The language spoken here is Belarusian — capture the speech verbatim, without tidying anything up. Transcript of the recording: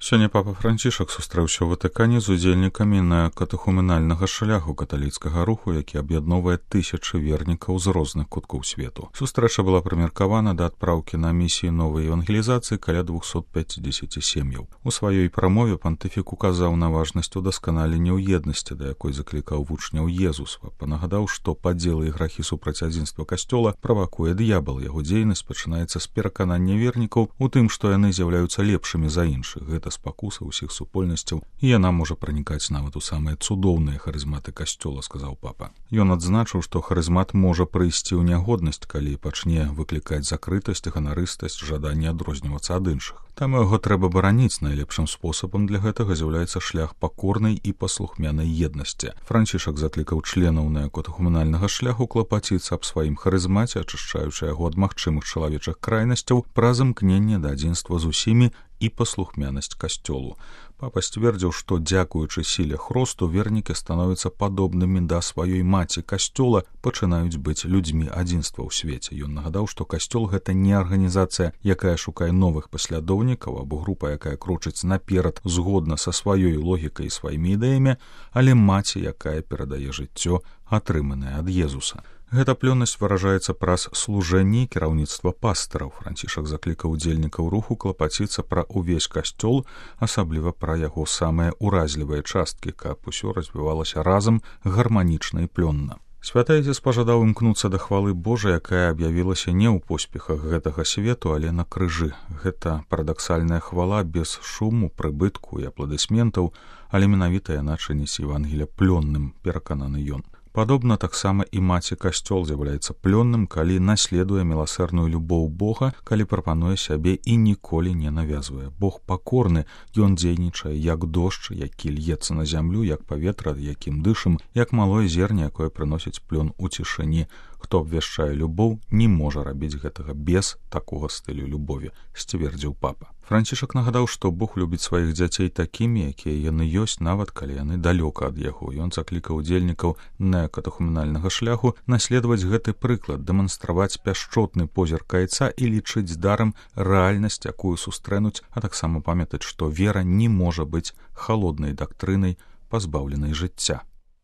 Сёння папа Францішак сустрэўся ў Ватыкане з удзельнікамі на катэхуменальнага шляху каталіцкага руху, які аб'ядноўвае тысячы вернікаў з розных куткоў свету. Сустрэча была прымеркавана да адпраўкі на місіі новай евангелізацыі каля двухсот пяцідзесяці сем'яў. У сваёй прамове пантыфік указаў на важнасць удасканалення ў еднасці, да якой заклікаў вучняў Езус. Папа нагадаў, што падзелы і грахі супраць адзінства касцёла правакуе д'ябал. Яго дзейнасць пачынаецца з пераканання вернікаў у тым, што яны з'яўляюцца лепшымі за іншых. Гэта спакуса ўсіх супольнасцяў, і яна можа пранікаць нават у самыя цудоўныя харызматы касцёла, сказаў папа. Ён адзначыў, што харызмат можа прыйсці ў нягоднасць, калі пачне выклікаць закрытасць, ганарыстасць, жаданне адрознівацца ад іншых. Таму яго трэба бараніць. Найлепшым спосабам для гэтага з'яўляецца шлях пакорнай і паслухмянай еднасці. Францішак заклікаў членаў неакатэхуменальнага шляху клапаціцца аб сваім харызмаце, ачышчаючы яго ад магчымых чалавечых крайнасцяў праз імкненне да адзінства з усімі і паслухмянасць касцёлу. Папа сцвердзіў, што дзякуючы сіле хросту вернікі становяцца падобнымі да сваёй маці касцёла, пачынаюць быць людзьмі адзінства ў свеце. Ён нагадаў, што касцёл — гэта не арганізацыя, якая шукае новых паслядоўнікаў або група, якая крочыць наперад згодна са сваёй логікай і сваімі ідэямі, але маці, якая перадае жыццё, атрыманае ад Езуса. Гэта плённасць выражаецца праз служэнне і кіраўніцтва пастыраў. Францішак заклікаў удзельнікаў руху клапаціцца пра ўвесь касцёл, асабліва пра яго самыя ўразлівыя часткі, каб усё развівалася разам гарманічна і плённа. Святы Айцец пажадаў імкнуцца да хвалы Божай, якая аб'явілася не ў поспехах гэтага свету, але на крыжы. Гэта парадаксальная хвала без шуму, прыбытку і апладысментаў, але менавіта яна чыніць Евангелія плённым, перакананы ён. Падобна таксама і маці касцёл з'яўляецца плённым, калі наследуе міласэрную любоў Бога, калі прапануе сябе і ніколі не навязвае. Бог пакорны, ён дзейнічае як дождж, які льецца на зямлю, як паветра, якім дышым, як малое зерне, якое прыносіць плён у цішыні. Хто абвяшчае любоў, не можа рабіць гэтага без такога стылю любові, сцвердзіў папа. Францішак нагадаў, што Бог любіць сваіх дзяцей такімі, якія яны ёсць, нават калі яны далёка ад яго. Ён заклікаў удзельнікаў неакатэхуменальнага шляху наследаваць гэты прыклад, дэманстраваць пяшчотны позірк Айца і лічыць дарам рэальнасць, якую сустрэнуць, а таксама памятаць, што вера не можа быць халоднай дактрынай, пазбаўленай жыцця.